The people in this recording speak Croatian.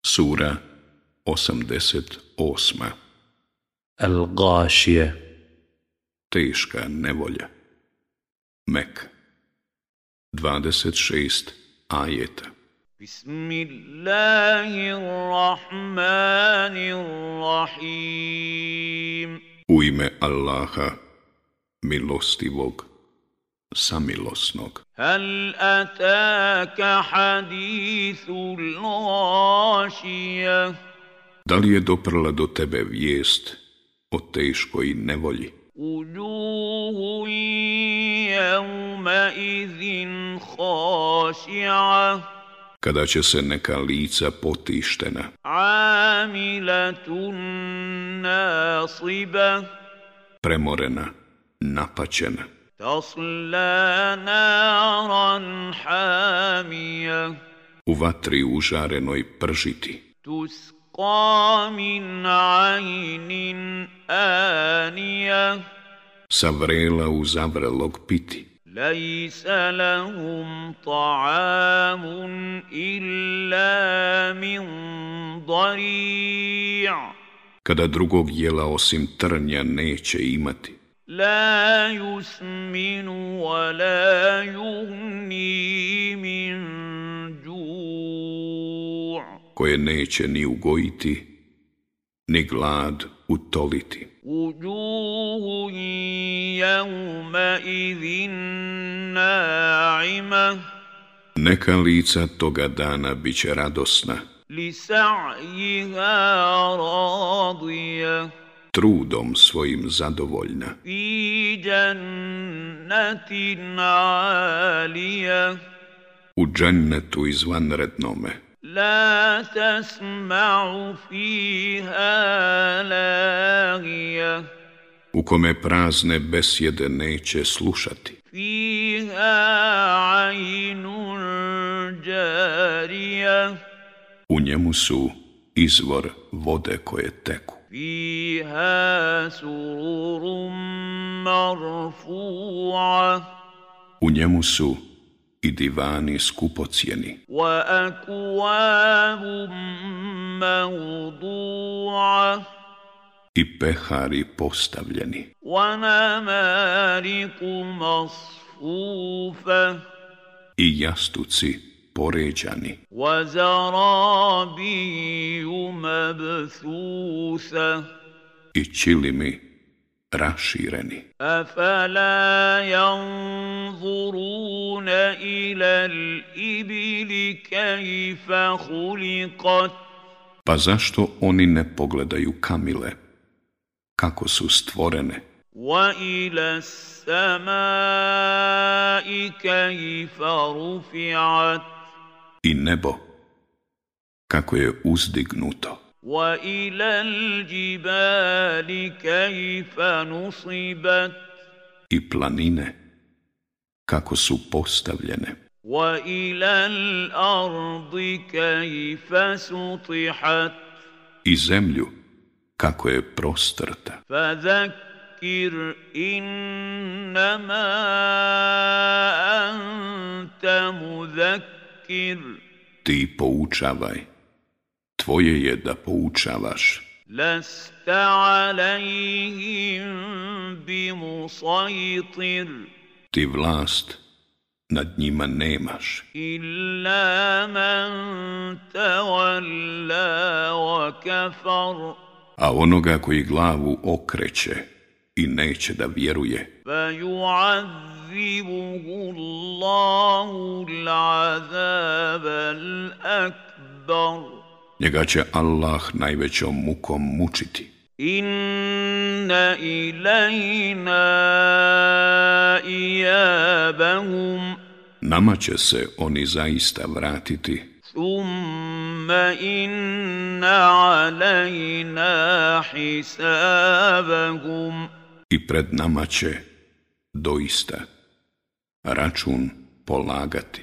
Sura 88. Al-Gashije. Teška nevolja. Mek. 26 ajeta. Bismillahirrahmanirrahim. U ime Allaha, milostivog, samilosnog. Hal ataka hadithul gashija. Da li je doprla do tebe vijest o teškoj nevolji? Ujuhu jevma izin khashi'a. Kada će se neka lica potištena, Amilatun nasiba. premorena, napaćena, Tasla naran hamija. u vatri užarenoj pržiti, Tusqa min aynin anija. sa vrela u zavrelog piti, Laysa lahum ta'amun illa min dari'. kada drugog jela osim trnja neće imati, La yusminu wa la yughni min ju'. koje neće ni ugojiti, ni glad utoliti. Wujuhun yawma idhin na'ima. Neka lica toga dana bit će radosna, Lisa'yiha radija. trudom svojim zadovoljna, Fi jannatin 'alija. u džennetu izvanrednome, La tasma'u fiha lagija. u kome prazne besjede neće slušati, Fiha 'aynun jarija. u njemu su izvor vode koje teku, Fiha sururun marfu'a. u njemu su i divani skupocjeni, Wa akwabun mawdu'a. i pehari postavljeni, Wa namariku masfufa. i jastuci poređani, Wa zarabiju mabthusa. i čilimi rašireni. Afala yanzuruna ila al-ibili kayfa khuliqat. Pa zašto oni ne pogledaju kamile, kako su stvorene, Wa ila as-samai kayfa rufi'at. i nebo, kako je uzdignuto, Wa ila al-jibali kayfa nusibat. i planine, kako su postavljene, Wa ila al-ardi kayfa sutihat. i zemlju, kako je prostrta. Fadhakkir innama anta mudhakkir. Ti poučavaj, tvoje je da poučavaš, Lasta alayhim bimusaytir. ti vlast nad njima nemaš, Illa man tawalla wa kafar. a onoga koji glavu okreće i neće da vjeruje, Fayu'adhibuhu Allahu al-'adhab al-akbar. njega će Allah najvećom mukom mučiti. Inna ilayna iyabahum. Nama će se oni zaista vratiti, Thumma inna alayna hisabahum. i pred nama će doista račun polagati.